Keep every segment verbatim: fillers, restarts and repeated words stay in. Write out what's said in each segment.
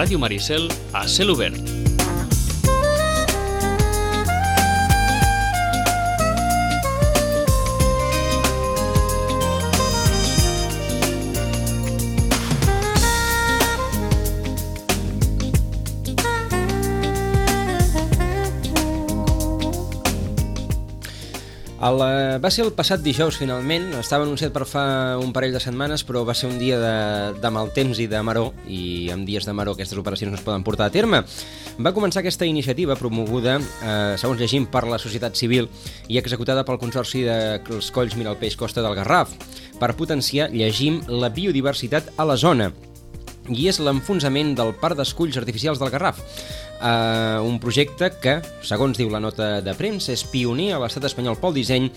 Ràdio Maricel a cel obert. El, va ser el passat dijous, finalment. Estava anunciat per fa un parell de setmanes, però va ser un dia de, de mal temps i de maror, i en dies de maror aquestes operacions no es poden portar a terme. Va començar aquesta iniciativa promoguda, eh, segons llegim, per la societat civil i executada pel Consorci dels Colls Miralpeix Costa del Garraf, per potenciar, llegim, la biodiversitat a la zona. I és l'enfonsament del Parc d'Esculls Artificials del Garraf. Uh, un projecte que, segons diu la nota de premsa, és pioner a l'estat espanyol pel disseny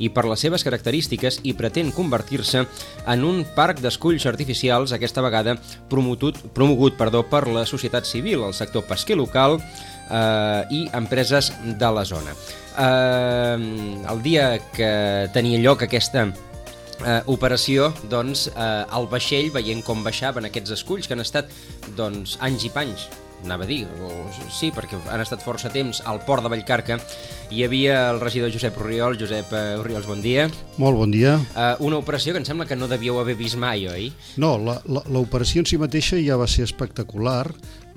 i per les seves característiques, i pretén convertir-se en un parc d'esculls artificials, aquesta vegada promogut, promogut perdó, per la societat civil, el sector pesquer local uh, i empreses de la zona. Uh, el dia que tenia lloc aquesta Uh, operació, doncs, uh, el vaixell, veient com baixaven aquests esculls, que han estat, doncs, anys i panys, anava a dir, o, sí, perquè han estat força temps al port de Vallcarca. Hi havia el regidor Josep Orriols. Josep uh, Orriols, bon dia. Molt bon dia. Uh, una operació que em sembla que no devíeu haver vist mai, oi? No, l'operació en si mateixa ja va ser espectacular,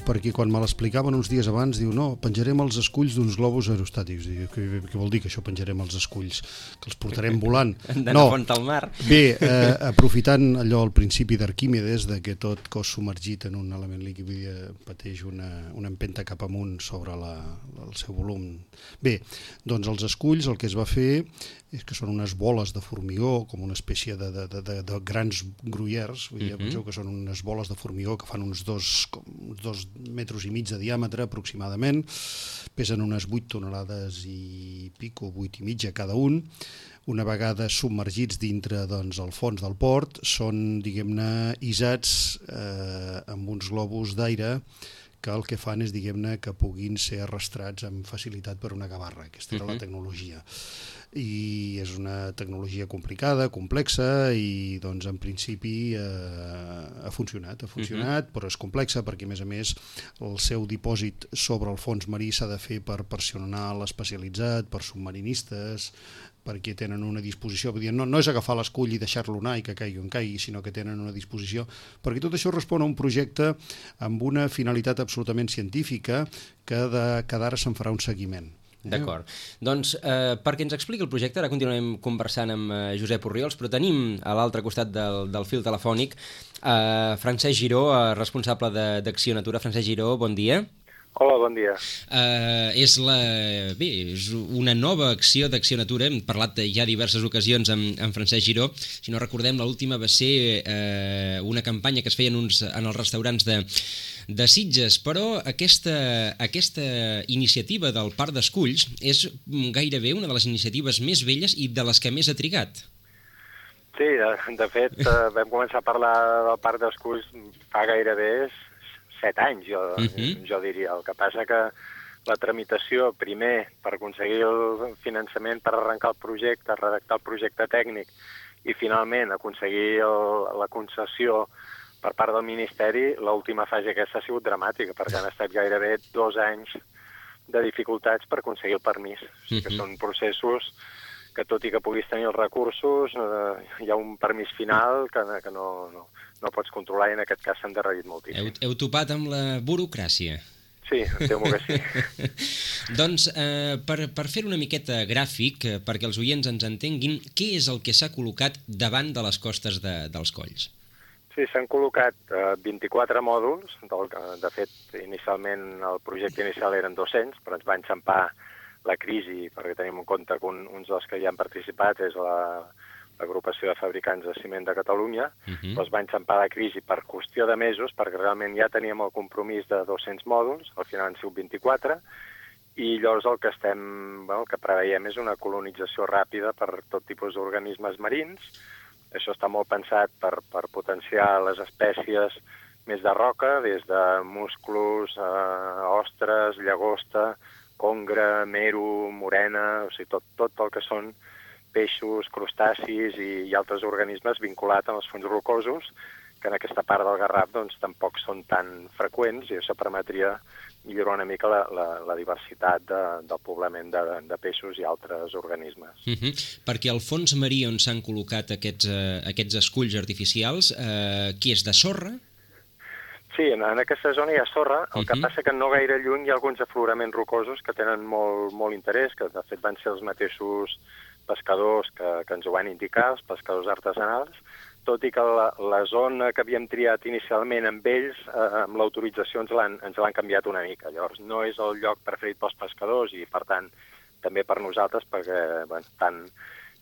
perquè quan me l'explicaven uns dies abans, diu, no, penjarem els esculls d'uns globus aerostàtics. Diu, què, què vol dir que això penjarem els esculls? Que els portarem volant? No, font al mar. Bé, eh, aprofitant allò al principi d'Arquímedes, de que tot cos submergit en un element líquid pateix una, una empenta cap amunt sobre la, el seu volum. Bé, doncs els esculls el que es va fer és que són unes boles de formigó, com una espècie de, de, de, de grans gruyers. Vull dir, uh-huh. Penseu que són unes boles de formigó que fan uns dos, com, uns dos metres i mig de diàmetre aproximadament, pesen unes vuit tonelades i pico, vuit i mitja cada un. Una vegada submergits dintre, doncs, el fons del port, són, diguem-ne, isats eh, amb uns globus d'aire que el que fan és, diguem-ne, que puguin ser arrastrats amb facilitat per una gavarra. Aquesta era uh-huh. la tecnologia. I és una tecnologia complicada, complexa, i doncs en principi eh, ha funcionat, ha funcionat, uh-huh. però és complexa perquè, a més a més, el seu dipòsit sobre el fons marí s'ha de fer per personal especialitzat, per submarinistes, perquè tenen una disposició, vull dir, no, no és agafar l'escull i deixar-lo anar i que caigui on caigui, sinó que tenen una disposició, perquè tot això respon a un projecte amb una finalitat absolutament científica que de cada ara se'n farà un seguiment. D'acord. Doncs eh, perquè ens expliqui el projecte, ara continuem conversant amb eh, Josep Orriols, però tenim a l'altre costat del, del fil telefònic eh, Francesc Giró, eh, responsable d'Acció Natura. Francesc Giró, bon dia. Hola, bon dia. Uh, és, la, bé, és una nova acció d'Acció Natura. Hem parlat ja diverses ocasions amb, amb Francesc Giró. Si no recordem, l'última va ser uh, una campanya que es feien uns, en els restaurants de, de Sitges, però aquesta, aquesta iniciativa del Parc d'Esculls és gairebé una de les iniciatives més velles i de les que més ha trigat. Sí, de, de fet, vam començar a parlar del Parc d'Esculls fa gairebé set anys, jo, uh-huh. jo diria. El que passa que la tramitació, primer, per aconseguir el finançament per arrencar el projecte, redactar el projecte tècnic, i finalment aconseguir el, la concessió per part del Ministeri, l'última fase aquesta ha sigut dramàtica, perquè han estat gairebé dos anys de dificultats per aconseguir el permís. O sigui que uh-huh. són processos que, tot i que puguis tenir els recursos, eh, hi ha un permís final que, que no, no, no pots controlar, i en aquest cas s'ha endarrerit moltíssim. Heu, heu topat amb la burocràcia. Sí, em temo que sí. Doncs, eh, per, per fer una miqueta gràfic, eh, perquè els oients ens entenguin, què és el que s'ha col·locat davant de les costes de, dels colls? Sí, s'han col·locat eh, vint-i-quatre mòduls. Del, de fet, inicialment el projecte inicial eren dos-cents, però ens va enxampar la crisi, perquè tenim en compte que un, uns dels que hi han participat és la, l'agrupació de fabricants de ciment de Catalunya, uh-huh. doncs va enxampar la crisi per qüestió de mesos, perquè realment ja teníem el compromís de dos-cents mòduls, al final han sigut vint-i-quatre, i llavors el que estem, bueno, el que preveiem és una colonització ràpida per tot tipus d'organismes marins. Això està molt pensat per, per potenciar les espècies més de roca, des de musclos, eh, ostres, llagosta, congre, mero, morena, o sigui, tot, tot el que són peixos, crustacis i, i altres organismes vinculats als fons rocosos, que en aquesta part del Garraf doncs, tampoc són tan freqüents i això permetria millorar una mica la, la, la diversitat de, del poblament de, de peixos i altres organismes. Uh -huh. Perquè al fons marí on s'han col·locat aquests, eh, aquests esculls artificials, eh, qui és de sorra? Sí, en, en aquesta zona hi ha sorra, el uh -huh. que passa que no gaire lluny hi ha alguns afloraments rocosos que tenen molt, molt interès, que de fet van ser els mateixos pescadors que, que ens ho van indicar, els pescadors artesanals, tot i que la, la zona que havíem triat inicialment amb ells, eh, amb l'autorització ens l'han ens l'han canviat una mica. Llavors, no és el lloc preferit pels pescadors i, per tant, també per nosaltres, perquè bueno, tant,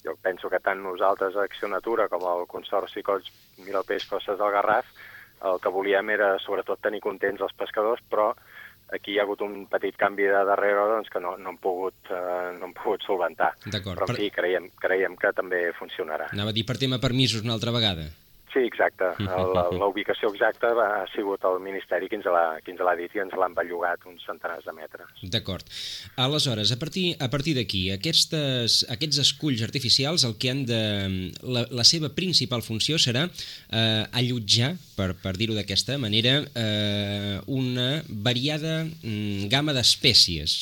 jo penso que tant nosaltres a Acció Natura com el Consorci Coll Mira el Peix Costes del Garraf, el que volíem era, sobretot, tenir contents els pescadors, però aquí hi ha hagut un petit canvi de darrere doncs, que no, no, hem pogut, eh, no hem pogut solventar. Però, en fi, per... creiem, creiem que també funcionarà. Anava a dir per tema permisos una altra vegada. Sí, exacte. La, la ubicació exacta va, ha sigut el Ministeri qui ens l'ha dit i ens l'han bellugat uns centenars de metres. D'acord. Aleshores, a partir, a partir d'aquí, aquestes, aquests esculls artificials, el que han de... La, la seva principal funció serà eh, allotjar, per, per dir-ho d'aquesta manera, eh, una variada mm, gamma d'espècies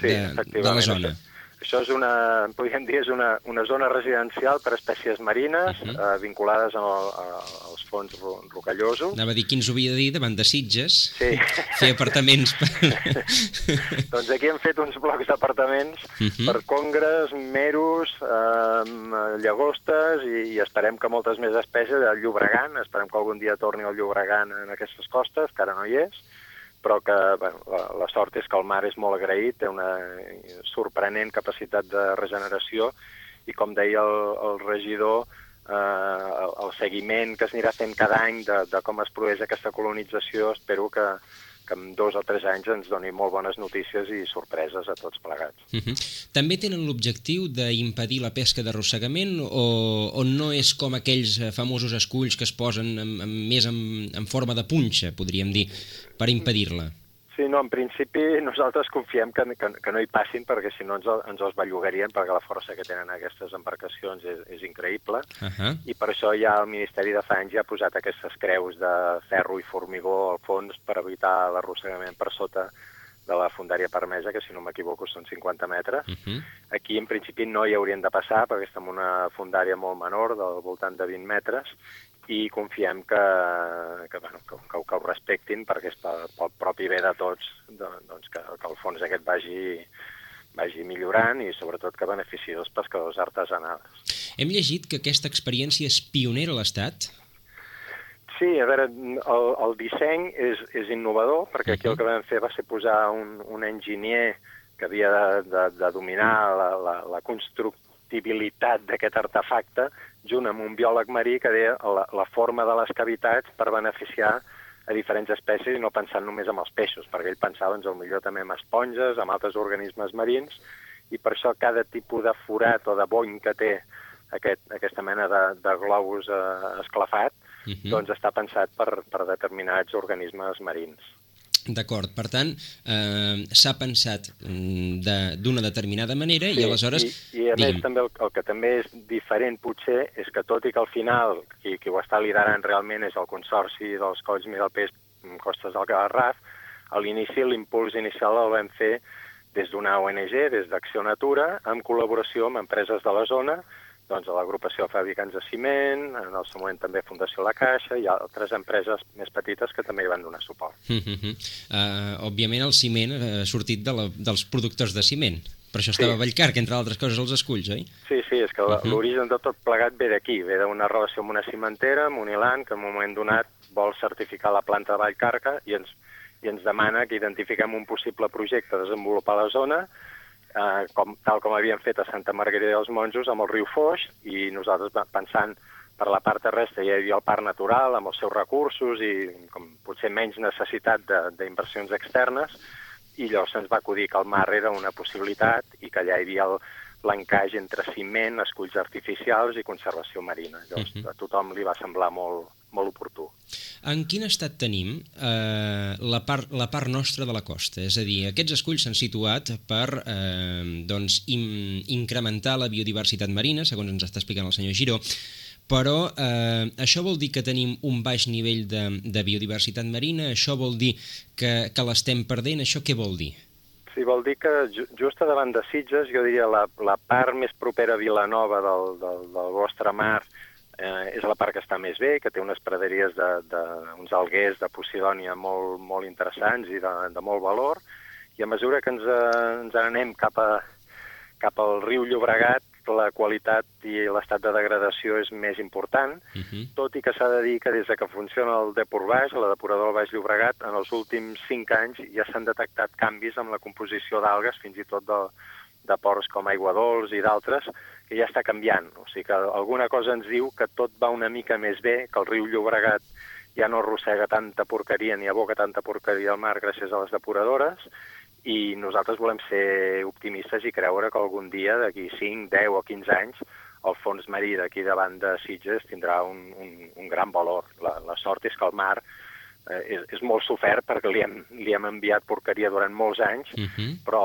sí, de, de la zona. Això. Això és una, podríem dir, és una, una zona residencial per a espècies marines uh -huh. eh, vinculades al, a, als fons ro rocallosos. Anava a dir qui ens ho havia de dir davant de Sitges, sí. fer apartaments. Per... doncs aquí hem fet uns blocs d'apartaments uh -huh. per congres, meros, eh, llagostes i, i esperem que moltes més espècies, el llobregant, esperem que algun dia torni el llobregant en aquestes costes, que ara no hi és, però que bueno, la, la sort és que el mar és molt agraït, té una sorprenent capacitat de regeneració i, com deia el, el regidor, eh, el, el seguiment que s'anirà fent cada any de, de com es produeix aquesta colonització, espero que, que en dos o tres anys ens doni molt bones notícies i sorpreses a tots plegats. Uh -huh. També tenen l'objectiu d'impedir la pesca d'arrossegament o, o no és com aquells famosos esculls que es posen en, en, més en, en forma de punxa, podríem dir, per impedir-la? Sí, no, en principi nosaltres confiem que, que, que no hi passin perquè si no ens, ens els bellugarien perquè la força que tenen aquestes embarcacions és, és increïble uh -huh. i per això ja el Ministeri de fa anys ja ha posat aquestes creus de ferro i formigó al fons per evitar l'arrossegament per sota de la fondària permesa, que si no m'equivoco són cinquanta metres. Uh -huh. Aquí en principi no hi haurien de passar perquè estem en una fondària molt menor, del voltant de vint metres, i confiem que, que, bueno, que, que, que ho respectin perquè és pel, pel propi bé de tots doncs que, que el fons aquest vagi, vagi millorant i sobretot que beneficiï els pescadors artesanals. Hem llegit que aquesta experiència és pionera a l'Estat? Sí, a veure, el, el disseny és, és innovador perquè aquí el que vam fer va ser posar un, un enginyer que havia de, de, de dominar la, la, la constructibilitat d'aquest artefacte junt amb un biòleg marí que deia la, la forma de les cavitats per beneficiar a diferents espècies i no pensant només en els peixos, perquè ell pensava doncs, millor també en esponges, en altres organismes marins, i per això cada tipus de forat o de bony que té aquest, aquesta mena de, de globus eh, esclafat, uh -huh. doncs està pensat per, per determinats organismes marins. D'acord, per tant, eh, s'ha pensat d'una de, determinada manera sí, i aleshores... I, i a digue'm. més també el, el que també és diferent potser és que tot i que al final qui, qui ho està liderant realment és el Consorci dels Colls Mira el Peix Costes del Garraf, a l'inici l'impuls inicial el vam fer des d'una O N G, des d'Acció Natura, en col·laboració amb empreses de la zona, doncs a l'agrupació de fabricants de ciment, en el seu moment també Fundació La Caixa i altres empreses més petites que també hi van donar suport. Uh -huh. uh, òbviament el ciment ha sortit de la, dels productors de ciment, per això estava sí. a Vallcarca, entre altres coses, els esculls, oi? Sí, sí, és que uh -huh. l'origen de tot plegat ve d'aquí, ve d'una relació amb una cimentera, amb Unilan, que en un moment donat vol certificar la planta de Vallcarca i ens, i ens demana que identifiquem un possible projecte a desenvolupar a la zona, Uh, com, tal com havíem fet a Santa Margarida dels Monjos amb el riu Foix, i nosaltres pensant per la part terrestre hi havia el parc natural amb els seus recursos i com potser menys necessitat d'inversions externes, i llavors se'ns va acudir que el mar era una possibilitat i que allà hi havia l'encaix entre ciment, esculls artificials i conservació marina. Llavors uh -huh. a tothom li va semblar molt, molt oportú. En quin estat tenim eh, la, part, la part nostra de la costa? És a dir, aquests esculls s'han situat per eh, doncs, in, incrementar la biodiversitat marina, segons ens està explicant el senyor Giró, però eh, això vol dir que tenim un baix nivell de, de biodiversitat marina, això vol dir que, que l'estem perdent, això què vol dir? Sí, vol dir que ju just a davant de Sitges, jo diria la, la part més propera a Vilanova del, del, del vostre mar eh, és la part que està més bé, que té unes praderies d'uns alguers de Posidònia molt, molt interessants i de, de molt valor, i a mesura que ens, eh, ens anem cap, a, cap al riu Llobregat, la qualitat i l'estat de degradació és més important, uh-huh. tot i que s'ha de dir que des que funciona el Depor Baix, la depuradora del Baix Llobregat, en els últims cinc anys ja s'han detectat canvis amb la composició d'algues, fins i tot de, de ports com Aiguadols i d'altres, que ja està canviant. O sigui que alguna cosa ens diu que tot va una mica més bé, que el riu Llobregat ja no arrossega tanta porqueria ni aboca tanta porqueria al mar gràcies a les depuradores, i nosaltres volem ser optimistes i creure que algun dia, d'aquí cinc, deu o quinze anys, el fons marí d'aquí davant de Sitges tindrà un, un, un gran valor. La, la sort és que el mar eh, és, és molt sofert perquè li hem, li hem enviat porqueria durant molts anys, uh-huh. però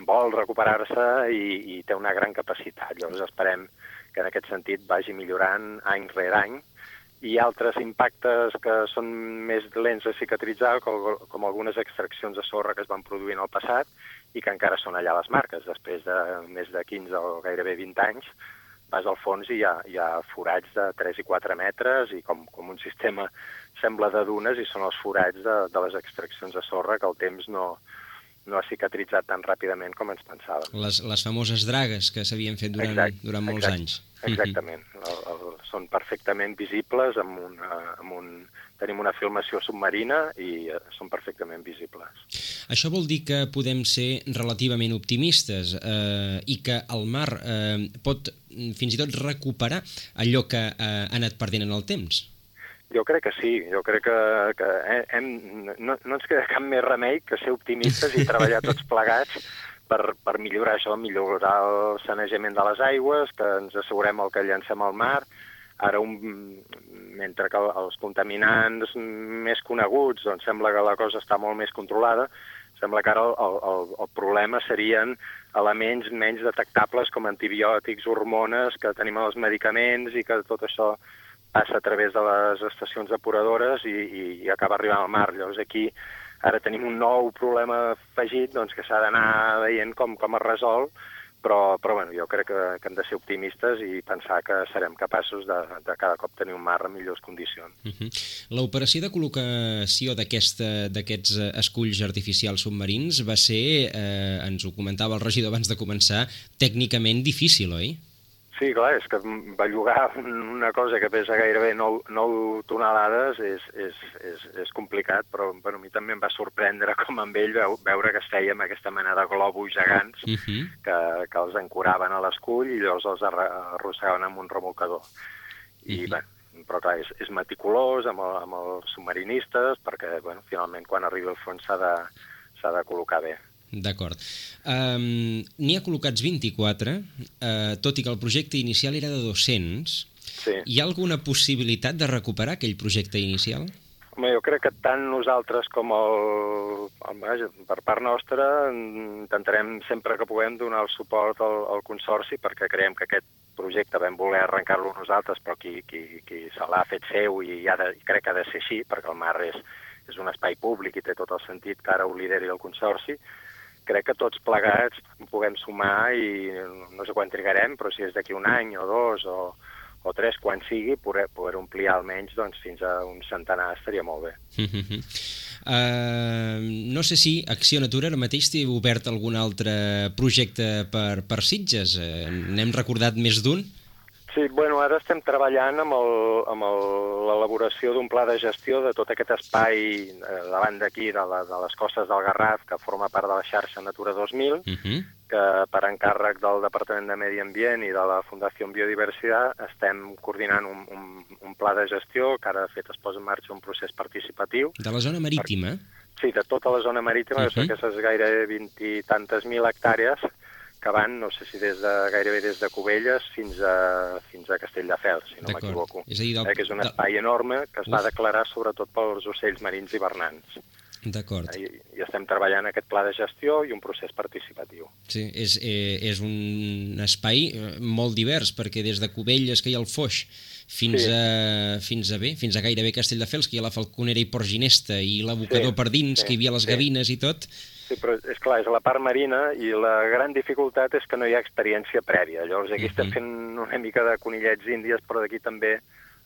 vol recuperar-se i, i té una gran capacitat. Llavors esperem que en aquest sentit vagi millorant any rere any, i altres impactes que són més lents a cicatritzar, com, com algunes extraccions de sorra que es van produir en el passat i que encara són allà les marques. Després de més de quinze o gairebé vint anys, vas al fons i hi ha, hi ha forats de tres i quatre metres i com, com un sistema sembla de dunes, i són els forats de, de les extraccions de sorra que el temps no, no ha cicatritzat tan ràpidament com ens pensàvem. Les, les famoses dragues que s'havien fet durant, exacte, durant molts exacte, anys. Exactament. El, el, són perfectament visibles, amb una, amb un, tenim una filmació submarina i uh, són perfectament visibles. Això vol dir que podem ser relativament optimistes eh, i que el mar eh, pot fins i tot recuperar allò que eh, ha anat perdent en el temps? Jo crec que sí, jo crec que, que hem, no, no ens queda cap més remei que ser optimistes i treballar tots plegats per, per millorar això, millorar el sanejament de les aigües, que ens assegurem el que llancem al mar. Ara, un, mentre que els contaminants més coneguts, doncs sembla que la cosa està molt més controlada, sembla que ara el, el, el problema serien elements menys detectables com antibiòtics, hormones, que tenim als medicaments i que tot això passa a través de les estacions depuradores i, i, i acaba arribant al mar. Llavors aquí ara tenim un nou problema afegit, doncs, que s'ha d'anar veient com, com es resol, però, però bueno, jo crec que, que hem de ser optimistes i pensar que serem capaços de, de cada cop tenir un mar en millors condicions. Uh-huh. L'operació de col·locació d'aquests esculls artificials submarins va ser, eh, ens ho comentava el regidor abans de començar, tècnicament difícil, oi? Sí, clar, és que bellugar una cosa que pesa gairebé nou tonelades és, és, és, és complicat, però bueno, a mi també em va sorprendre com amb ell veure que es feia amb aquesta mena de globus gegants uh-huh. que, que els ancoraven a l'escull i llavors els arrossegaven amb un remolcador. I, uh-huh. bé, però clar, és, és meticulós amb, el, amb els submarinistes perquè, bueno, finalment, quan arribi al fons s'ha de, s'ha de col·locar bé. D'acord. Um, N'hi ha col·locats vint-i-quatre, uh, tot i que el projecte inicial era de dos-cents. Sí. Hi ha alguna possibilitat de recuperar aquell projecte inicial? Home, jo crec que tant nosaltres com el, el, per part nostra intentarem sempre que puguem donar el suport al, al Consorci, perquè creiem que aquest projecte vam voler arrencar-lo nosaltres, però qui, qui, qui se l'ha fet seu i, ha de, i crec que ha de ser així, perquè el mar és, és un espai públic i té tot el sentit que ara ho lideri el Consorci. Crec que tots plegats puguem sumar i no sé quan trigarem, però si és d'aquí un any o dos o, o tres, quan sigui, poder, poder omplir almenys doncs, fins a un centenar estaria molt bé. Uh-huh. uh, no sé si Acció Natura ara mateix té obert algun altre projecte per, per Sitges. Uh, N'hem recordat més d'un? Sí, bueno, ara estem treballant amb l'elaboració d'un pla de gestió de tot aquest espai eh, davant d'aquí, de, la, de les costes del Garraf, que forma part de la xarxa Natura dos mil, uh-huh. que per encàrrec del Departament de Medi Ambient i de la Fundació Biodiversitat estem coordinant un, un, un pla de gestió que ara, de fet, es posa en marxa un procés participatiu. De la zona marítima? Per, sí, de tota la zona marítima, uh-huh. aquestes gairebé vint i tantes mil hectàrees, que van, no sé si des de, gairebé des de Cubelles fins a, fins a Castelldefels, si no m'equivoco. És a dir, del... eh, que és un espai enorme que es va declarar sobretot pels ocells marins hivernants. D'acord. I, I estem treballant aquest pla de gestió i un procés participatiu. Sí, és, eh, és un espai molt divers, perquè des de Cubelles, que hi ha el Foix, fins, sí. a, fins a bé, fins a gairebé Castelldefels, que hi ha la Falconera i Port Ginesta, i l'abocador sí, per dins, sí, que hi havia les sí. Gavines i tot. Sí, però és clar, és a la part marina i la gran dificultat és que no hi ha experiència prèvia. Llavors aquí uh-huh. estem fent una mica de conillets índies, però d'aquí també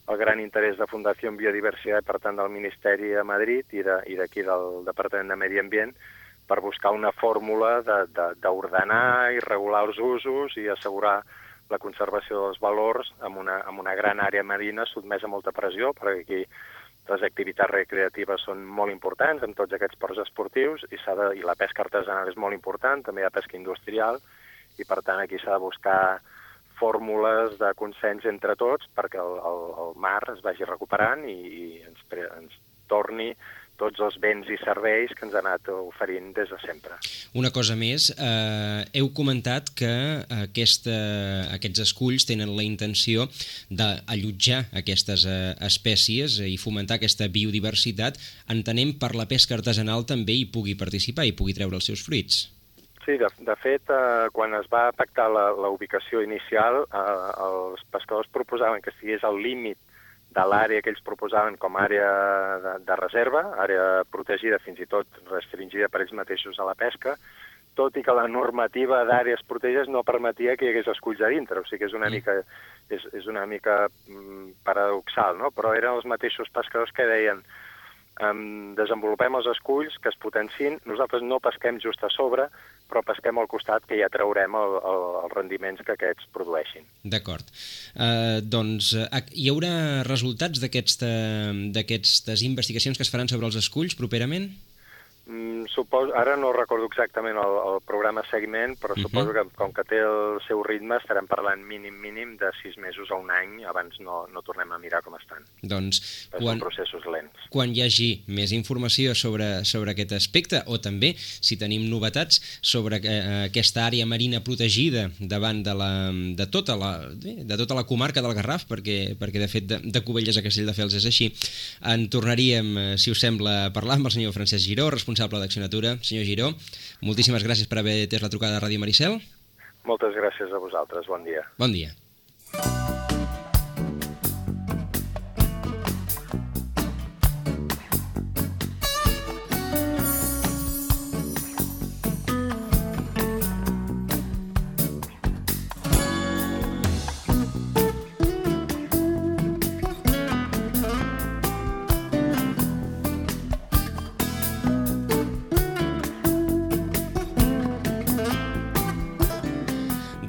el gran interès de Fundació Biodiversitat, per tant del Ministeri a Madrid i d'aquí de, del Departament de Medi Ambient, per buscar una fórmula d'ordenar i regular els usos i assegurar la conservació dels valors en una, en una gran àrea marina sotmesa a molta pressió, perquè aquí les activitats recreatives són molt importants en tots aquests ports esportius i, s'ha de, i la pesca artesanal és molt important, també hi ha pesca industrial, i per tant aquí s'ha de buscar fórmules de consens entre tots perquè el, el, el mar es vagi recuperant i, i ens, ens torni tots els béns i serveis que ens ha anat oferint des de sempre. Una cosa més, eh, heu comentat que aquesta, aquests esculls tenen la intenció d'allotjar aquestes eh, espècies i fomentar aquesta biodiversitat. Entenem per la pesca artesanal també hi pugui participar i pugui treure els seus fruits. Sí, de, de fet, eh, quan es va pactar la, la ubicació inicial, eh, els pescadors proposaven que estigués al límit de l'àrea que ells proposaven com a àrea de, de reserva, àrea protegida, fins i tot restringida per ells mateixos a la pesca, tot i que la normativa d'àrees protegides no permetia que hi hagués esculls a dintre, o sigui que és una mica, és, és una mica mm, paradoxal, no? Però eren els mateixos pescadors que deien Um, desenvolupem els esculls, que es potenciïn, nosaltres no pesquem just a sobre, però pesquem al costat, que ja traurem el, el, els rendiments que aquests produeixin. D'acord. Uh, doncs uh, hi haurà resultats d'aquestes investigacions que es faran sobre els esculls properament? Mm, suposo, ara no recordo exactament el, el programa seguiment, però uh-huh. suposo que com que té el seu ritme estarem parlant mínim mínim de sis mesos a un any, abans no, no tornem a mirar com estan. Doncs quan, són processos lents. Quan hi hagi més informació sobre, sobre aquest aspecte, o també si tenim novetats sobre eh, aquesta àrea marina protegida davant de, la, de, tota la, de tota la comarca del Garraf, perquè, perquè de fet de, de Cubelles a Castelldefels és així, en tornaríem, si us sembla, a parlar amb el senyor Francesc Giró, responsable d'Acció Natura. Senyor Giró, moltíssimes gràcies per haver atès la trucada a Ràdio Maricel. Moltes gràcies a vosaltres, bon dia. Bon dia.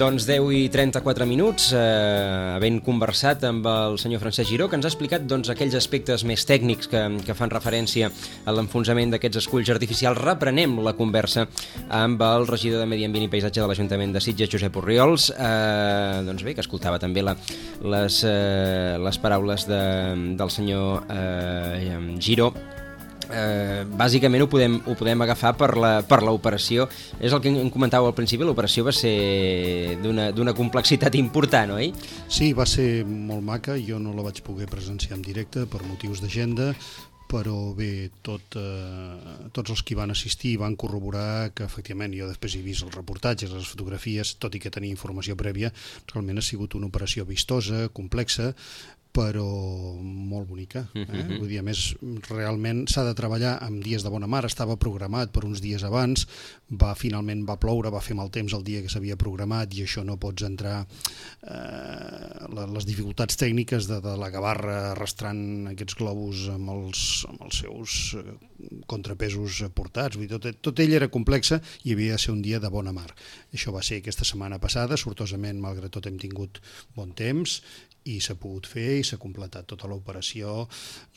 Doncs deu i trenta-quatre minuts, eh, havent conversat amb el senyor Francesc Giró, que ens ha explicat doncs, aquells aspectes més tècnics que, que fan referència a l'enfonsament d'aquests esculls artificials. Reprenem la conversa amb el regidor de Medi Ambient i Paisatge de l'Ajuntament de Sitges, Josep Orriols, eh, doncs bé, que escoltava també la, les, eh, les paraules de, del senyor eh, Giró. Eh, bàsicament ho podem, ho podem agafar per la, per l'operació. És el que em comentàveu al principi, l'operació va ser d'una, d'una complexitat important, oi? Sí, va ser molt maca, jo no la vaig poder presenciar en directe per motius d'agenda, però bé, tot, eh, tots els que van assistir van corroborar que efectivament, jo després he vist els reportatges, les fotografies, tot i que tenia informació prèvia, realment ha sigut una operació vistosa, complexa, però molt bonica. Eh? Uh-huh. Vull dir, a més, realment s'ha de treballar amb dies de bona mar, estava programat per uns dies abans, va finalment va ploure, va fer mal temps el dia que s'havia programat i això no pots entrar eh, les dificultats tècniques de, de la gavarra arrastrant aquests globus amb els, amb els seus contrapesos portats. Vull dir, tot, tot ell era complexa i havia de ser un dia de bona mar. Això va ser aquesta setmana passada, sortosament, malgrat tot hem tingut bon temps i s'ha pogut fer i s'ha completat tota l'operació.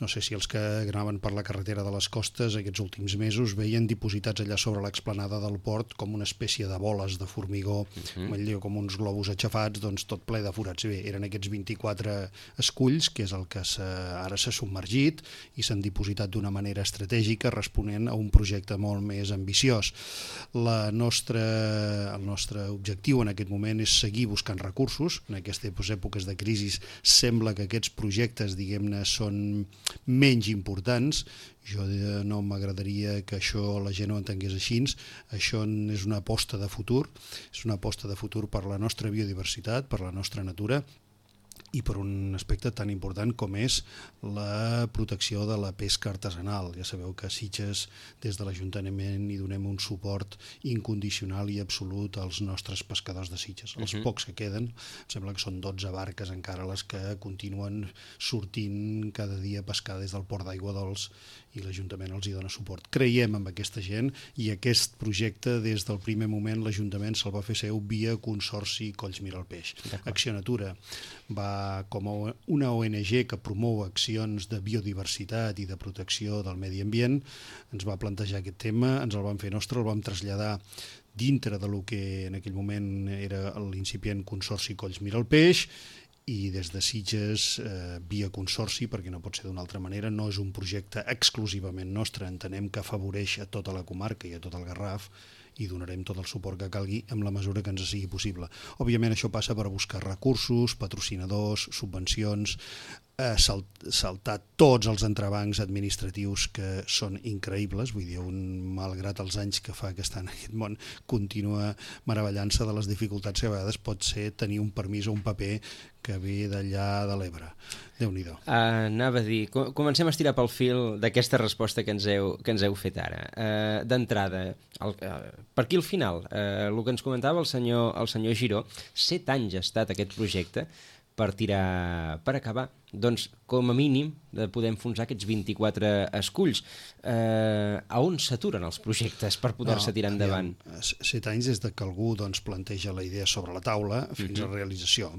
No sé si els que anaven per la carretera de les costes aquests últims mesos veien dipositats allà sobre l'explanada del port com una espècie de boles de formigó, uh-huh. com uns globus aixafats, doncs tot ple de forats. Bé, eren aquests vint-i-quatre esculls, que és el que ara s'ha submergit i s'han dipositat d'una manera estratègica responent a un projecte molt més ambiciós. La nostra, el nostre objectiu en aquest moment és seguir buscant recursos en aquestes èpoques de crisi sembla que aquests projectes, diguem-ne, són menys importants. Jo no m'agradaria que això la gent ho entengués així. Això és una aposta de futur, és una aposta de futur per la nostra biodiversitat, per la nostra natura, i per un aspecte tan important com és la protecció de la pesca artesanal. Ja sabeu que a Sitges, des de l'Ajuntament, hi donem un suport incondicional i absolut als nostres pescadors de Sitges. Els uh-huh. pocs que queden, em sembla que són dotze barques encara les que continuen sortint cada dia a pescar des del Port d'Aigua Dols, i l'Ajuntament els hi dona suport. Creiem en aquesta gent, i aquest projecte, des del primer moment, l'Ajuntament se'l va fer seu via Consorci Colls Mira el Peix. Acció Natura va com una O N G que promou accions de biodiversitat i de protecció del medi ambient, ens va plantejar aquest tema, ens el vam fer nostre, el vam traslladar dintre de lo que en aquell moment era l'incipient Consorci Colls Mira el Peix, i des de Sitges, eh, via consorci, perquè no pot ser d'una altra manera, no és un projecte exclusivament nostre, entenem que afavoreix a tota la comarca i a tot el Garraf, i donarem tot el suport que calgui en la mesura que ens sigui possible. Òbviament això passa per buscar recursos, patrocinadors, subvencions, eh, salt, saltar tots els entrebancs administratius que són increïbles, vull dir, un, malgrat els anys que fa que està en aquest món, continua meravellant-se de les dificultats que a vegades pot ser tenir un permís o un paper que ve d'allà de l'Ebre. Déu-n'hi-do. Uh, anava a dir, comencem a estirar pel fil d'aquesta resposta que ens heu, que ens heu fet ara. Uh, D'entrada, uh, per aquí al final, uh, el que ens comentava el senyor, el senyor Giró, set anys ha estat aquest projecte per tirar, per acabar, doncs, com a mínim, de poder enfonsar aquests vint-i-quatre esculls. Eh, a on s'aturen els projectes per poder-se no, tirar endavant? Ja, set anys des de que algú doncs, planteja la idea sobre la taula fins uh-huh. a realització.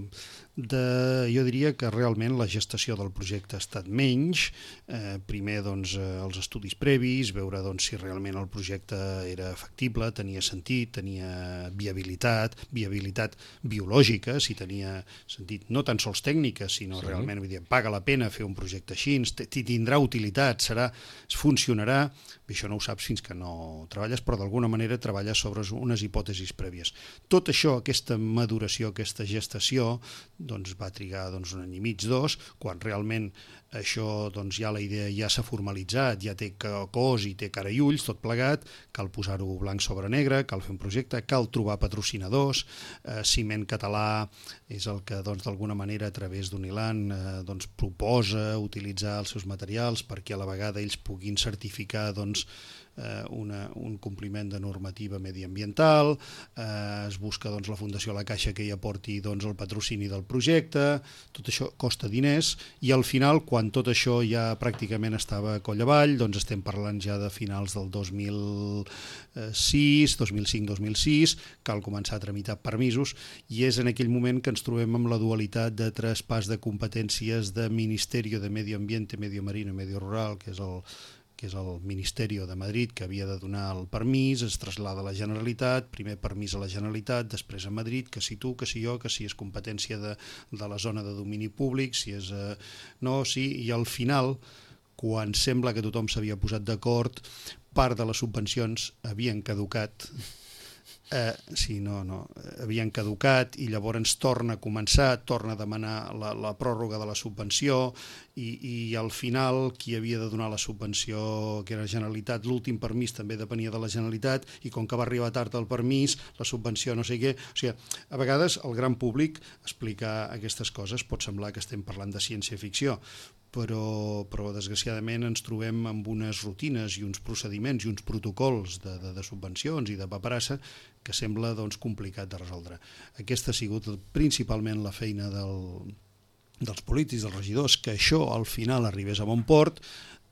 De, jo diria que realment la gestació del projecte ha estat menys. Eh, primer, doncs, els estudis previs, veure doncs, si realment el projecte era factible, tenia sentit, tenia viabilitat, viabilitat biològica, si tenia sentit no tan sols tècnica, sinó sí. realment, vull dir, paga la pena fer un projecte així, tindrà utilitat, serà, funcionarà, això no ho saps fins que no treballes, però d'alguna manera treballes sobre unes hipòtesis prèvies. Tot això, aquesta maduració, aquesta gestació, doncs va trigar doncs, un any i mig, dos, quan realment això, doncs ja la idea ja s'ha formalitzat, ja té cos i té cara i ulls, tot plegat, cal posar-ho blanc sobre negre, cal fer un projecte, cal trobar patrocinadors, eh, Ciment Català és el que doncs, d'alguna manera a través d'Unilan eh, doncs, proposa utilitzar els seus materials perquè a la vegada ells puguin certificar doncs, eh, una, un compliment de normativa mediambiental, eh, es busca doncs, la Fundació La Caixa que hi aporti doncs, el patrocini del projecte, tot això costa diners i al final, quan tot això ja pràcticament estava coll avall, doncs estem parlant ja de finals del dos mil sis, dos mil cinc, dos mil sis, cal començar a tramitar permisos i és en aquell moment que ens trobem amb la dualitat de traspàs de competències de Ministerio de Medio Ambiente, Medio Marino i Medio Rural, que és el que és el Ministeri de Madrid, que havia de donar el permís, es traslada a la Generalitat, primer permís a la Generalitat, després a Madrid, que si tu, que si jo, que si és competència de, de la zona de domini públic, si és... Eh, no, sí, i al final, quan sembla que tothom s'havia posat d'acord, part de les subvencions havien caducat, Eh, sí, no, no, havien caducat i llavors torna a començar, torna a demanar la, la pròrroga de la subvenció i, i al final qui havia de donar la subvenció, que era la Generalitat, l'últim permís també depenia de la Generalitat i com que va arribar tard el permís, la subvenció no sé què, o sigui, a vegades el gran públic explicar aquestes coses pot semblar que estem parlant de ciència-ficció, però, però desgraciadament ens trobem amb unes rutines i uns procediments i uns protocols de, de, de subvencions i de paperassa que sembla doncs, complicat de resoldre. Aquesta ha sigut principalment la feina del, dels polítics, dels regidors, que això al final arribés a bon port.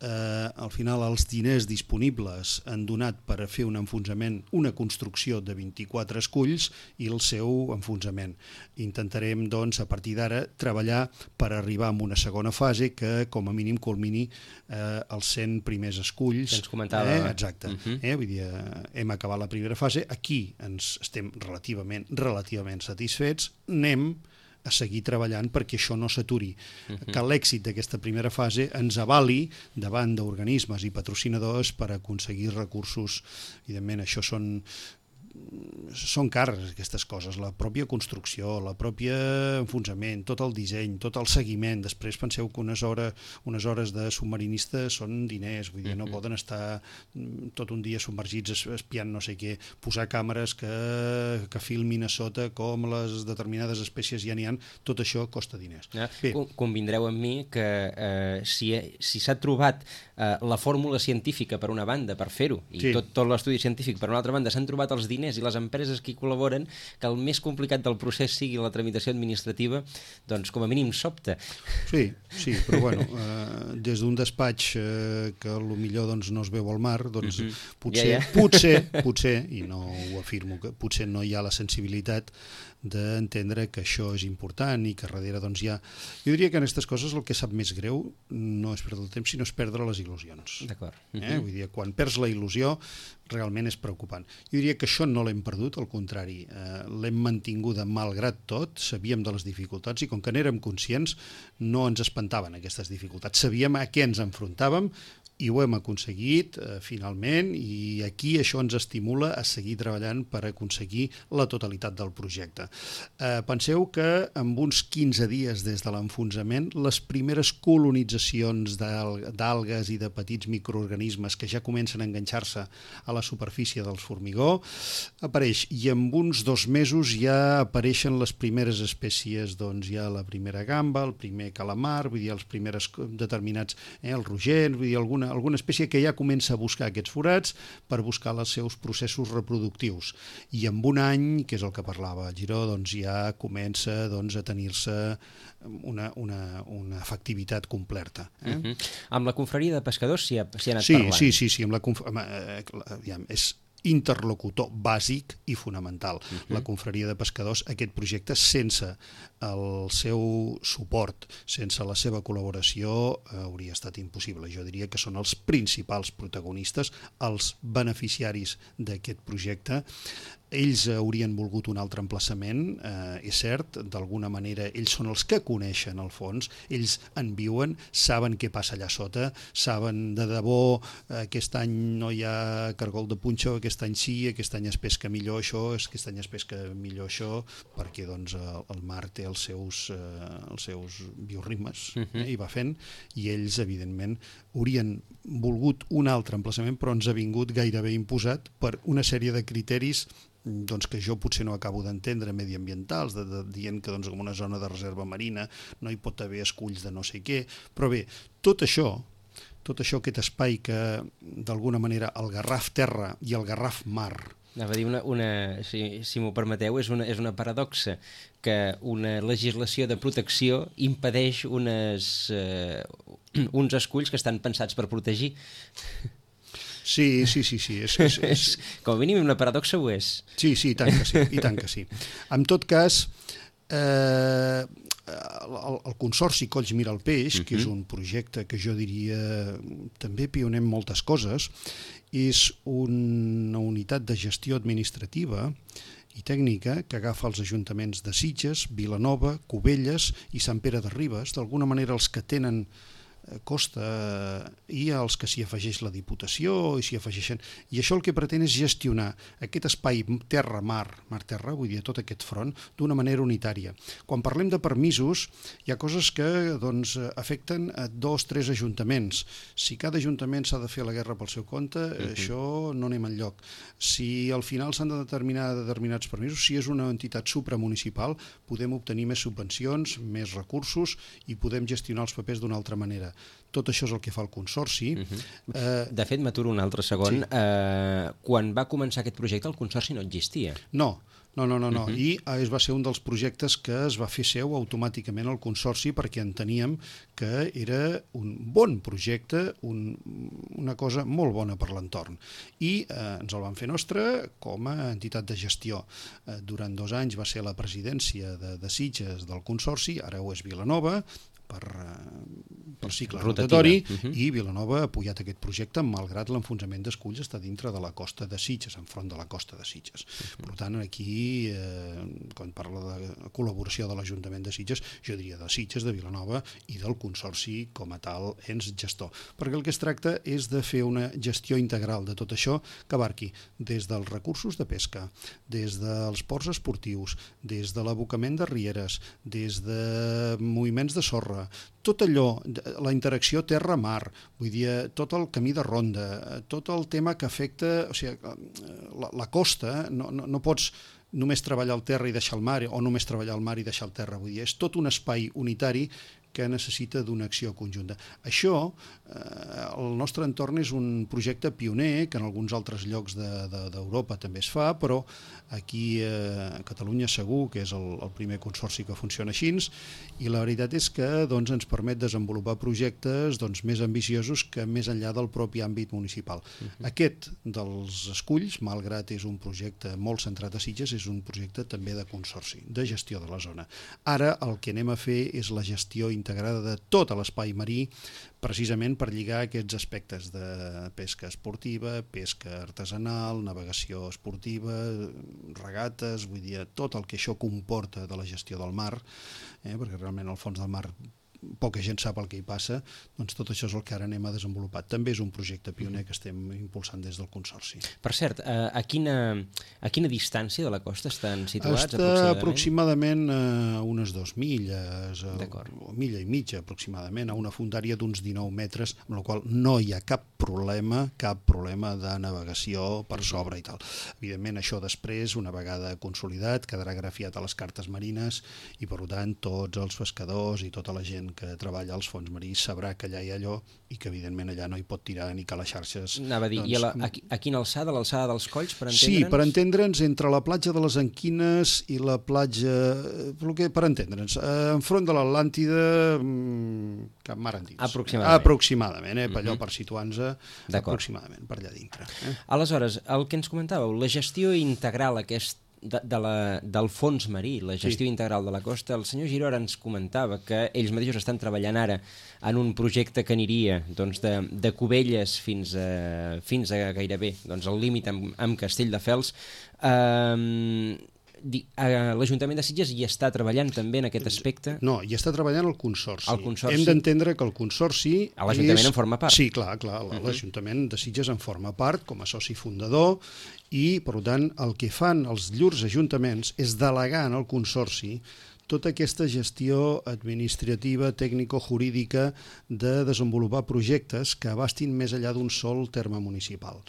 Eh, al final els diners disponibles han donat per a fer un enfonsament, una construcció de vint-i-quatre esculls i el seu enfonsament. Intentarem, doncs, a partir d'ara, treballar per arribar a una segona fase que, com a mínim, culmini eh, els cent primers esculls. Que ens comentava. Eh, exacte. Uh-huh. eh, vull dir, hem acabat la primera fase. Aquí ens estem relativament, relativament satisfets. Anem a seguir treballant perquè això no s'aturi, uh-huh. que l'èxit d'aquesta primera fase ens avali davant d'organismes i patrocinadors per aconseguir recursos. Evidentment, això són són cares aquestes coses, la pròpia construcció, la pròpia enfonsament, tot el disseny, tot el seguiment. Després penseu que unes hores, unes hores de submarinista són diners, vull dir, no poden estar tot un dia submergits espiant no sé què, posar càmeres que, que filmin a sota com les determinades espècies ja n'hi ha, tot això costa diners. Ja, convindreu amb mi que eh, si, si s'ha trobat eh, la fórmula científica per una banda per fer-ho, i sí. tot, tot l'estudi científic per una altra banda, s'han trobat els diners i les empreses que hi col·laboren, que el més complicat del procés sigui la tramitació administrativa, doncs com a mínim sobta. Sí, sí, però bueno, eh, des d'un despatx eh, que potser doncs, no es veu al mar, doncs mm -hmm. potser, ja, ja. potser, potser, i no ho afirmo, que potser no hi ha la sensibilitat d'entendre que això és important i que darrere doncs hi ha... Jo diria que en aquestes coses el que sap més greu no és perdre el temps, sinó és perdre les il·lusions. D'acord. Eh? Vull dir, quan perds la il·lusió realment és preocupant. Jo diria que això no l'hem perdut, al contrari, eh, l'hem mantinguda malgrat tot, sabíem de les dificultats i com que n'érem conscients no ens espantaven aquestes dificultats, sabíem a què ens enfrontàvem i ho hem aconseguit eh, finalment, i aquí això ens estimula a seguir treballant per aconseguir la totalitat del projecte. Eh, penseu que en uns quinze dies des de l'enfonsament les primeres colonitzacions d'algues i de petits microorganismes que ja comencen a enganxar-se a la superfície del formigó apareix, i en uns dos mesos ja apareixen les primeres espècies, doncs hi ha la primera gamba, el primer calamar, vull dir, els primers determinats, eh, el rogent, vull dir, alguna alguna espècie que ja comença a buscar aquests forats per buscar els seus processos reproductius. I en un any, que és el que parlava Giró, doncs ja comença doncs, a tenir-se una, una, una efectivitat completa. Eh? Uh-huh. Amb la confraria de pescadors s'hi ha, s'hi ha anat sí, parlant? Sí, sí, sí, amb la conf... eh, aviam, és interlocutor bàsic i fonamental. Uh-huh. La confraria de pescadors, aquest projecte, sense el seu suport, sense la seva col·laboració, eh, hauria estat impossible. Jo diria que són els principals protagonistes, els beneficiaris d'aquest projecte. Ells haurien volgut un altre emplaçament, eh, és cert, d'alguna manera ells són els que coneixen el fons, ells en viuen, saben què passa allà sota, saben de debò, eh, aquest any no hi ha cargol de punxó, aquest any sí, aquest any es pesca millor això, aquest any es pesca millor això, perquè doncs, el mar té els seus, eh, els seus bioritmes, uh-huh. eh, i va fent, i ells, evidentment, haurien volgut un altre emplaçament, però ens ha vingut gairebé imposat per una sèrie de criteris doncs que jo potser no acabo d'entendre, mediambientals, de, de, dient que doncs, com una zona de reserva marina no hi pot haver esculls de no sé què, però bé, tot això, tot això, aquest espai que d'alguna manera el Garraf terra i el Garraf mar... Anava a dir, una, una, si, si m'ho permeteu, és una, és una paradoxa que una legislació de protecció impedeix unes, eh, uns esculls que estan pensats per protegir. Sí, sí, sí, sí. És, és, és... Com a mínim una paradoxa ho és. Sí, sí, i tant que sí, i tant que sí. En tot cas, eh, el, el Consorci Colls Mira el Peix, uh-huh. que és un projecte que jo diria també pioner en moltes coses, és una unitat de gestió administrativa i tècnica que agafa els ajuntaments de Sitges, Vilanova, Cubelles i Sant Pere de Ribes, d'alguna manera els que tenen costa i als que s'hi afegeix la Diputació i s'hi afegeixen, i això el que pretén és gestionar aquest espai terra-mar, mar-terra, vull dir, tot aquest front, d'una manera unitària. Quan parlem de permisos, hi ha coses que doncs, afecten a dos, tres ajuntaments. Si cada ajuntament s'ha de fer la guerra pel seu compte, uh-huh. això no anem enlloc. Si al final s'han de determinar determinats permisos, si és una entitat supramunicipal, podem obtenir més subvencions, més recursos i podem gestionar els papers d'una altra manera. Tot això és el que fa el Consorci. Uh-huh. eh, de fet, m'aturo un altre segon. Sí. Eh, quan va començar aquest projecte, el Consorci no existia. No, no, no, no, no. Uh-huh. I es va ser un dels projectes que es va fer seu automàticament al Consorci perquè enteníem que era un bon projecte, un, una cosa molt bona per l'entorn. I eh, ens el van fer nostre com a entitat de gestió. Eh, durant dos anys va ser la presidència de, de Sitges del Consorci, ara ho és Vilanova, per, per cicle rotativa. rotatori, Uh-huh. i Vilanova ha apoyat aquest projecte malgrat l'enfonsament d'esculls està dintre de la costa de Sitges, enfront de la costa de Sitges. Uh-huh. Per tant, aquí, eh, quan parla de col·laboració de l'Ajuntament de Sitges, jo diria de Sitges, de Vilanova i del Consorci com a tal ens gestor. Perquè el que es tracta és de fer una gestió integral de tot això que abarqui des dels recursos de pesca, des dels ports esportius, des de l'abocament de rieres, des de moviments de sorra, tot allò, la interacció terra-mar, vull dir, tot el camí de ronda, tot el tema que afecta, o sigui, la, la costa, no, no, no pots només treballar el terra i deixar el mar, o només treballar el mar i deixar el terra, vull dir, és tot un espai unitari que necessita d'una acció conjunta. Això, eh, el nostre entorn és un projecte pioner, que en alguns altres llocs d'Europa de, de, també es fa, però aquí eh, a Catalunya segur que és el, el primer consorci que funciona així, i la veritat és que doncs, ens permet desenvolupar projectes doncs, més ambiciosos que més enllà del propi àmbit municipal. Uh-huh. Aquest dels esculls, malgrat és un projecte molt centrat a Sitges, és un projecte també de consorci, de gestió de la zona. Ara el que anem a fer és la gestió integrada de tot l'espai marí, precisament per lligar aquests aspectes de pesca esportiva, pesca artesanal, navegació esportiva, regates, vull dir, tot el que això comporta de la gestió del mar, eh, perquè realment al fons del mar poca gent sap el que hi passa, doncs tot això és el que ara anem a desenvolupar. També és un projecte pioner que estem impulsant des del Consorci. Per cert, a quina, a quina distància de la costa estan situats? Està aproximadament a unes dues milles, o milla i mitja aproximadament, a una fondària d'uns dinou metres, amb la qual no hi ha cap problema, cap problema de navegació per sobre i tal. Evidentment, això després, una vegada consolidat, quedarà grafiat a les cartes marines i, per tant, tots els pescadors i tota la gent que treballa als fons marins sabrà que allà hi ha allò i que evidentment allà no hi pot tirar ni que les xarxes... Anava a dir, doncs, i a, la, a, a quina alçada? L'alçada dels colls, per entendre'ns? Sí, per entendre'ns, entre la platja de les Anquines i la platja... Per entendre'ns, enfront de l'Atlàntida, cap mar endins. Aproximadament. Aproximadament, eh? Per allò, Uh-huh. per situar-nos, aproximadament, per allà dintre. Eh? Aleshores, el que ens comentàveu, la gestió integral aquest De, de la, del fons marí, la gestió sí. integral de la costa, el senyor Giró ens comentava que ells mateixos estan treballant ara en un projecte que aniria doncs, de, de Cubelles fins a, fins a gairebé doncs, el límit amb, amb Castelldefels. Um, L'Ajuntament de Sitges hi està treballant també en aquest aspecte? No, hi està treballant el Consorci. El consorci. Hem d'entendre que el Consorci... L'Ajuntament en forma part. Sí, clar, clar. L'Ajuntament de Sitges en forma part com a soci fundador i, per tant, el que fan els llurs ajuntaments és delegar en el Consorci tota aquesta gestió administrativa, tècnico-jurídica de desenvolupar projectes que abastin més enllà d'un sol terme municipal.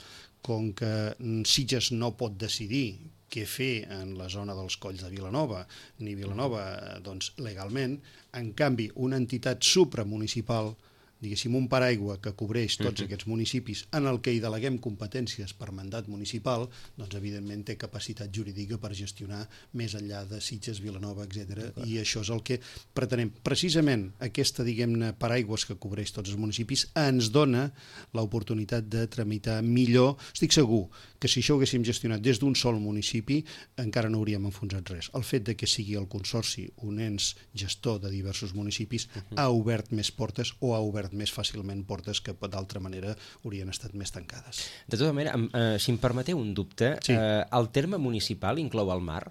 Com que Sitges no pot decidir què fer en la zona dels colls de Vilanova, ni Vilanova doncs, legalment, en canvi una entitat supramunicipal, diguéssim un paraigua que cobreix tots uh-huh. aquests municipis en el que hi deleguem competències per mandat municipal, doncs evidentment té capacitat jurídica per gestionar més enllà de Sitges, Vilanova, etcètera. I això és el que pretenem. Precisament aquesta, diguem-ne, paraigües que cobreix tots els municipis ens dona l'oportunitat de tramitar millor. Estic segur que si això ho haguéssim gestionat des d'un sol municipi encara no hauríem enfonsat res. El fet de que sigui el Consorci un ens gestor de diversos municipis uh-huh. ha obert més portes o ha obert més fàcilment portes que d'altra manera haurien estat més tancades. De tota manera, eh, si em permeteu un dubte, sí. eh, el terme municipal inclou el mar?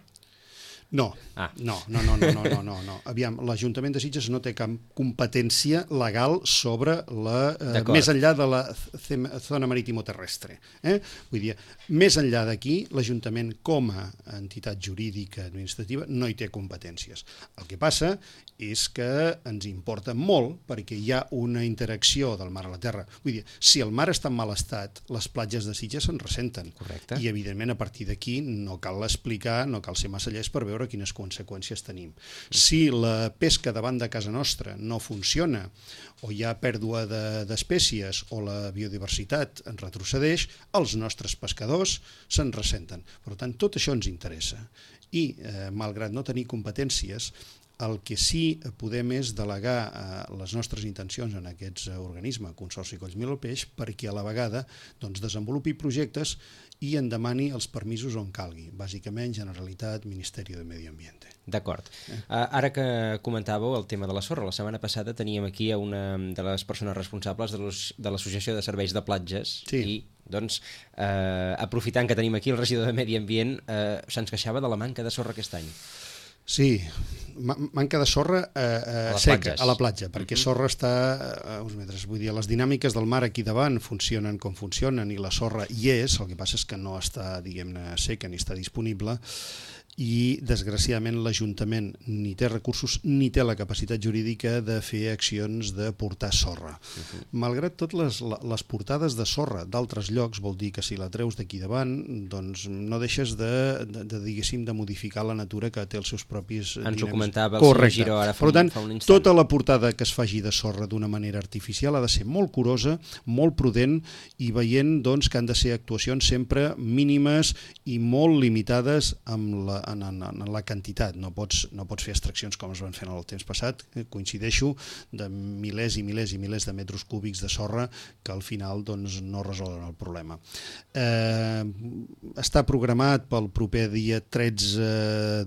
No, ah. no, no, no, no, no, no, no, no. Aviam, l'Ajuntament de Sitges no té cap competència legal sobre la, eh, més enllà de la zona marítimo-terrestre. Eh? Vull dir, més enllà d'aquí, l'Ajuntament com a entitat jurídica administrativa no hi té competències. El que passa és que ens importa molt perquè hi ha una interacció del mar a la terra. Vull dir, si el mar està en mal estat, les platges de Sitges se'n ressenten. Correcte. I, evidentment, a partir d'aquí no cal explicar, no cal ser massa llest per veure quines conseqüències tenim. Si la pesca davant de casa nostra no funciona o hi ha pèrdua d'espècies o la biodiversitat en retrocedeix, els nostres pescadors se'n ressenten. Per tant, tot això ens interessa. I, eh, malgrat no tenir competències, el que sí podem és delegar eh, les nostres intencions en aquests organismes, Consorci Colls Mil al Peix, perquè a la vegada doncs, desenvolupi projectes i en demani els permisos on calgui, bàsicament Generalitat, Ministeri de Medi Ambient. D'acord. Eh? Ara que comentàveu el tema de la sorra, la setmana passada teníem aquí a una de les persones responsables de l'Associació de Serveis de Platges sí. i doncs, eh, aprofitant que tenim aquí el regidor de Medi Ambient, eh, se'ns queixava de la manca de sorra aquest any. Sí, manca de sorra eh, eh, a seca, platges. a la platja, perquè sorra està a uns metres. Vull dir, les dinàmiques del mar aquí davant funcionen com funcionen i la sorra hi és, el que passa és que no està, diguem-ne, seca ni està disponible, i desgraciadament l'Ajuntament ni té recursos ni té la capacitat jurídica de fer accions de portar sorra. Uh-huh. Malgrat tot, les, les portades de sorra d'altres llocs vol dir que si la treus d'aquí davant, doncs no deixes de, de, de, diguéssim, de modificar la natura que té els seus propis... Ens dinàmics. Ho comentava el senyor Giró ara fa, per tant, fa un instant. Tota la portada que es faci de sorra d'una manera artificial ha de ser molt curosa, molt prudent i veient doncs, que han de ser actuacions sempre mínimes i molt limitades amb la En, en, en la quantitat. No pots, no pots fer extraccions com es van fer en el temps passat, coincideixo, de milers i milers i milers de metres cúbics de sorra que al final doncs, no resolen el problema. Eh, està programat pel proper dia tretze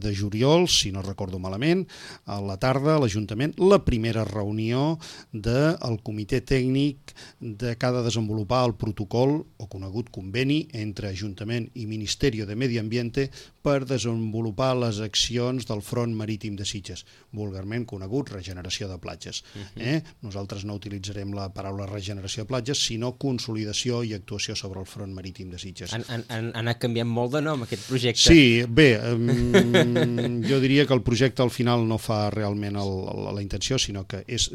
de juliol, si no recordo malament, a la tarda a l'Ajuntament, la primera reunió del comitè tècnic de que ha de desenvolupar el protocol o conegut conveni entre Ajuntament i Ministeri de Medi Ambiente per desenvolupar les accions del Front Marítim de Sitges, vulgarment conegut regeneració de platges. Eh? Nosaltres no utilitzarem la paraula regeneració de platges, sinó consolidació i actuació sobre el Front Marítim de Sitges. Han, han, han anat canviant molt de nom aquest projecte. Sí, bé, um, jo diria que el projecte al final no fa realment el, el, la intenció, sinó que és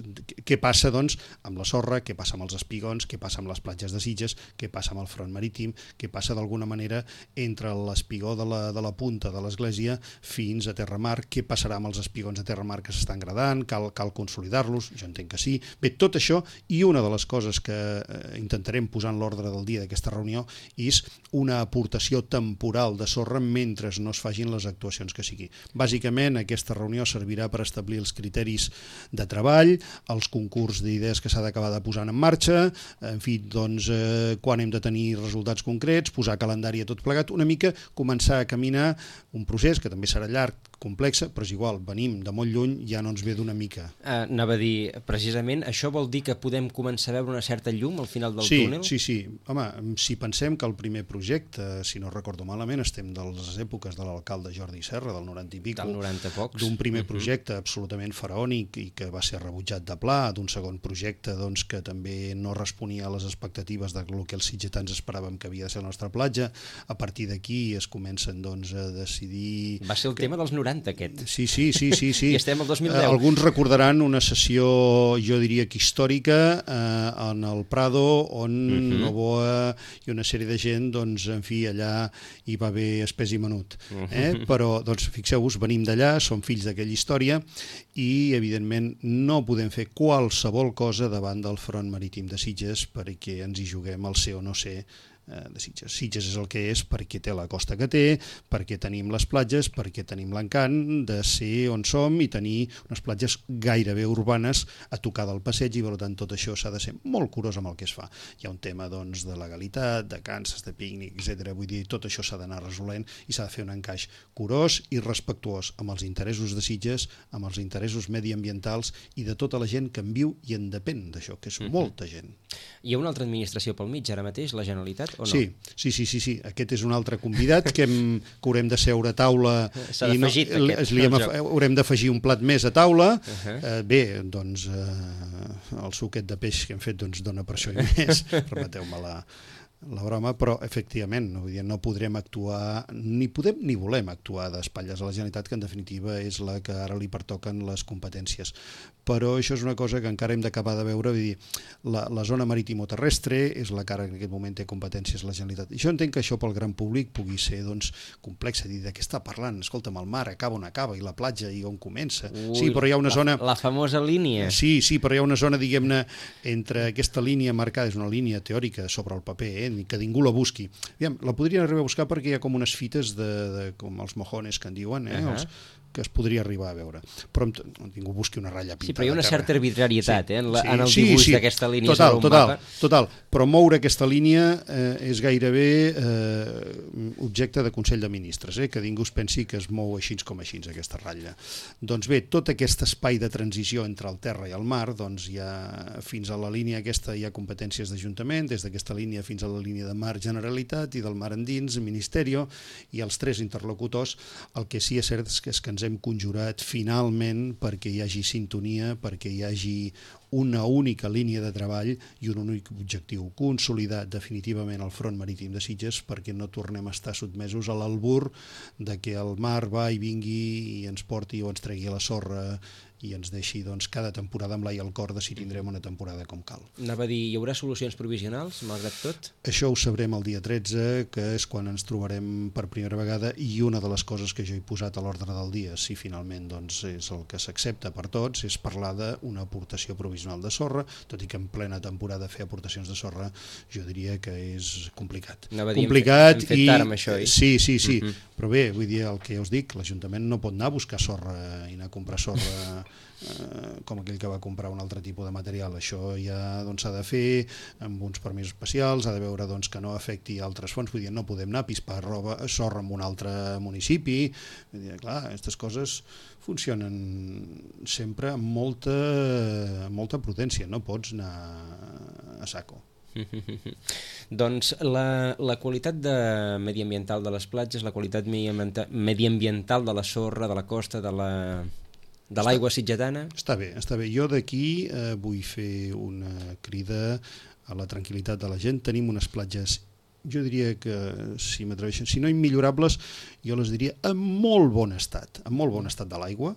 què passa doncs amb la sorra, què passa amb els espigons, què passa amb les platges de Sitges, què passa amb el Front Marítim, què passa d'alguna manera entre l'espigó de la, de la punta de l'església fins a terramar, què passarà amb els espigons a terramar que s'estan gradant, cal, cal consolidar-los, jo entenc que sí. Bé, tot això, i una de les coses que eh, intentarem posar en l'ordre del dia d'aquesta reunió és una aportació temporal de sorra mentre no es facin les actuacions que sigui. Bàsicament, aquesta reunió servirà per establir els criteris de treball, els concurs d'idees que s'ha d'acabar de posar en marxa, en fi, doncs, eh, quan hem de tenir resultats concrets, posar calendari a tot plegat, una mica començar a caminar un procés que també serà llarg, complexa, però és igual, venim de molt lluny, ja no ens ve d'una mica. Uh, anava a dir, precisament, això vol dir que podem començar a veure una certa llum al final del sí, túnel? Sí, sí, home, si pensem que el primer projecte, si no recordo malament, estem de les èpoques de l'alcalde Jordi Serra, del noranta i pico, del noranta pocs, d'un primer projecte uh-huh. absolutament faraònic i que va ser rebutjat de pla, d'un segon projecte doncs, que també no responia a les expectatives del que els sitgetans esperàvem que havia de ser la nostra platja. A partir d'aquí es comencen doncs, a decidir... Va ser el que... tema dels noranta, aquest. Sí, sí, sí, sí, sí. I estem al dos mil deu. Alguns recordaran una sessió, jo diria que històrica, eh, en el Prado, on uh-huh. Novoa i una sèrie de gent, doncs, en fi, allà hi va haver espès i menut. Eh? Uh-huh. Però, doncs, fixeu-vos, venim d'allà, som fills d'aquella història i, evidentment, no podem fer qualsevol cosa davant del Front Marítim de Sitges perquè ens hi juguem el ser o no ser de Sitges. Sitges és el que és perquè té la costa que té, perquè tenim les platges, perquè tenim l'encant de ser on som i tenir unes platges gairebé urbanes a tocar del passeig i per tant tot això s'ha de ser molt curós amb el que es fa. Hi ha un tema doncs, de legalitat, de canses, de pícnic, etcètera. Vull dir, tot això s'ha d'anar resolent i s'ha de fer un encaix curós i respectuós amb els interessos de Sitges, amb els interessos mediambientals i de tota la gent que en viu i en depèn d'això, que és mm-hmm. molta gent. Hi ha una altra administració pel mig ara mateix, la Generalitat? O no? Sí, sí, sí, sí, sí, aquest és un altre convidat que, hem, que haurem de seure a taula i no, aquest, li hem, haurem d'afegir un plat més a taula. Uh-huh. eh, bé, doncs eh, el suquet de peix que hem fet doncs, dona per això i més, remeteu-me la, la broma, però efectivament no, vull dir, no podrem actuar, ni podem ni volem actuar d'espatlles a la Generalitat, que en definitiva és la que ara li pertoquen les competències. Però això és una cosa que encara hem d'acabar de veure, vull dir, la, la zona marítimo-terrestre és la que ara en aquest moment té competències la Generalitat. I jo entenc que això pel gran públic pugui ser doncs, complex, dir de què està parlant, escolta'm, el mar acaba on acaba i la platja i on comença. Ui, sí, però hi ha una la, zona... La famosa línia. Sí, sí, però hi ha una zona, diguem-ne, entre aquesta línia marcada, és una línia teòrica sobre el paper, eh, que ningú la busqui. Aviam, la podrien arribar a buscar perquè hi ha com unes fites de, de com els mojones que en diuen, eh? Uh-huh. els, que es podria arribar a veure. Però ningú busqui una ratlla pintada. Sí, però hi ha una certa arbitrarietat sí, eh, en, la, sí, en el sí, dibuix sí, d'aquesta línia total, sobre un total, mapa. Total, però moure aquesta línia eh, és gairebé eh, objecte de Consell de Ministres, eh, que ningú es pensi que es mou així com així aquesta ratlla. Doncs bé, tot aquest espai de transició entre el terra i el mar, doncs hi ha, fins a la línia aquesta hi ha competències d'Ajuntament, des d'aquesta línia fins a la línia de mar Generalitat i del mar endins, Ministerio, i els tres interlocutors. El que sí és cert és que, és que ens hem conjurat finalment perquè hi hagi sintonia, perquè hi hagi una única línia de treball i un únic objectiu, consolidar definitivament el front marítim de Sitges perquè no tornem a estar sotmesos a l'albur de que el mar va i vingui i ens porti o ens tregui a la sorra i ens deixi doncs, cada temporada amb l'ai al cor de si tindrem una temporada com cal. Anava a dir, hi haurà solucions provisionals, malgrat tot? Això ho sabrem el dia tretze, que és quan ens trobarem per primera vegada, i una de les coses que jo he posat a l'ordre del dia, si finalment doncs, és el que s'accepta per tots, és parlar d'una aportació provisional de sorra, tot i que en plena temporada fer aportacions de sorra jo diria que és complicat. Anava a dir, complicat hem fet, hem fet i... tard amb això, oi? Sí, sí, sí, uh -huh. però bé, vull dir el que us dic, l'Ajuntament no pot anar a buscar sorra i anar a comprar sorra eh, com aquell que va comprar un altre tipus de material. Això ja doncs, s'ha de fer amb uns permisos especials, ha de veure doncs, que no afecti altres fonts, vull dir, no podem anar a pispar roba, sorra en un altre municipi, vull dir, clar, aquestes coses funcionen sempre amb molta, molta prudència, no pots anar a saco. Doncs la, la qualitat de mediambiental de les platges, la qualitat mediambiental de la sorra, de la costa, de la... de l'aigua sitgetana? Està bé, està bé. Jo d'aquí eh, vull fer una crida a la tranquil·litat de la gent. Tenim unes platges, jo diria que, si m'atreveixen, si no immillorables, jo les diria en molt bon estat, en molt bon estat de l'aigua.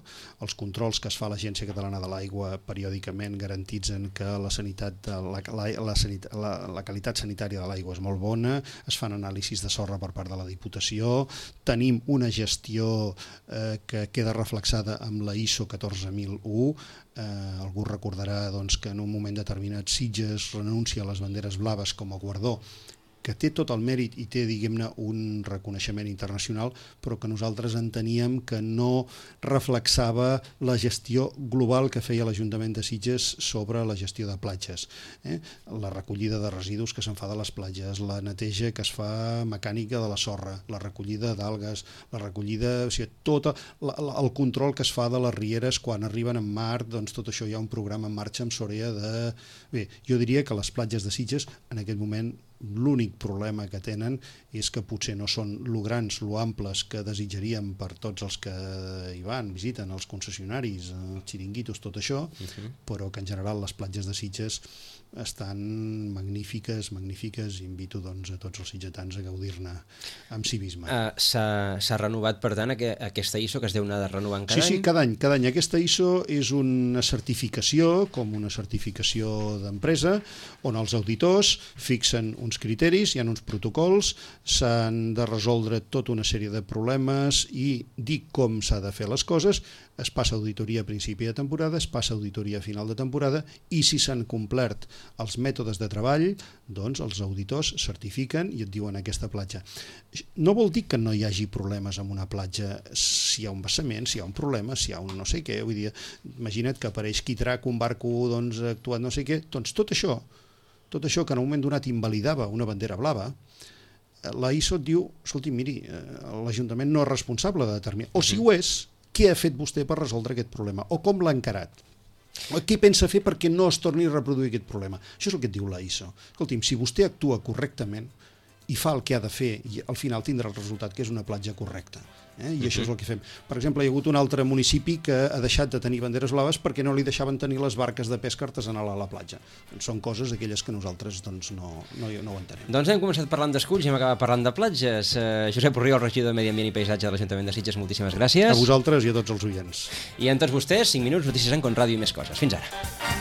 Els controls que es fa a l'Agència Catalana de l'Aigua periòdicament garantitzen que la sanitat, la, la, la, sanit, la, la qualitat sanitària de l'aigua és molt bona, es fan anàlisis de sorra per part de la Diputació, tenim una gestió eh, que queda reflexada amb la I S O catorze mil u. Eh, algú recordarà doncs, que en un moment determinat Sitges renuncia a les banderes blaves com a guardó, que té tot el mèrit i té, diguem-ne, un reconeixement internacional, però que nosaltres enteníem que no reflexava la gestió global que feia l'Ajuntament de Sitges sobre la gestió de platges. Eh? La recollida de residus que se'n fa de les platges, la neteja que es fa mecànica de la sorra, la recollida d'algues, la recollida... O sigui, tot el control que es fa de les rieres quan arriben en mar, doncs tot això hi ha un programa en marxa amb Sorea de... Bé, jo diria que les platges de Sitges en aquest moment l'únic problema que tenen és que potser no són lo grans, lo amples que desitjaríem per tots els que hi van, visiten, els concessionaris, els xiringuitos, tot això, uh-huh. però que en general les platges de Sitges estan magnífiques, magnífiques, i invito doncs, a tots els sitgetans a gaudir-ne amb civisme. Uh, S'ha renovat, per tant, aquesta I S O que es deu anar de renovant cada sí, any? Sí, cada any, cada any. Aquesta I S O és una certificació, com una certificació d'empresa, on els auditors fixen uns criteris, hi ha uns protocols, s'han de resoldre tota una sèrie de problemes i dir com s'ha de fer les coses, es passa auditoria a principi de temporada, es passa auditoria a final de temporada, i si s'han complert els mètodes de treball, doncs els auditors certifiquen i et diuen aquesta platja. No vol dir que no hi hagi problemes amb una platja, si hi ha un vessament, si hi ha un problema, si hi ha un no sé què, vull dir, imagina't que apareix quitrac, un barco doncs, actuat no sé què, doncs tot això, tot això que en un moment donat invalidava una bandera blava, la I S O et diu, escolti, miri, l'Ajuntament no és responsable de determinar, o si ho és, què ha fet vostè per resoldre aquest problema, o com l'ha encarat, o què pensa fer perquè no es torni a reproduir aquest problema. Això és el que et diu la I S O. Escolti'm, si vostè actua correctament i fa el que ha de fer, i al final tindrà el resultat que és una platja correcta. Eh? I uh-huh. això és el que fem. Per exemple, hi ha hagut un altre municipi que ha deixat de tenir banderes blaves perquè no li deixaven tenir les barques de pesca artesanal a la platja. Doncs són coses aquelles que nosaltres doncs, no, no, no ho entenem. Doncs hem començat parlant d'esculls i hem acabat parlant de platges. Uh, Josep Orriol, regidor de Medi Ambient i Paisatge de l'Ajuntament de Sitges, moltíssimes gràcies. A vosaltres i a tots els oients. I a tots vostès, cinc minuts, notícies en Con Ràdio i més coses. Fins ara.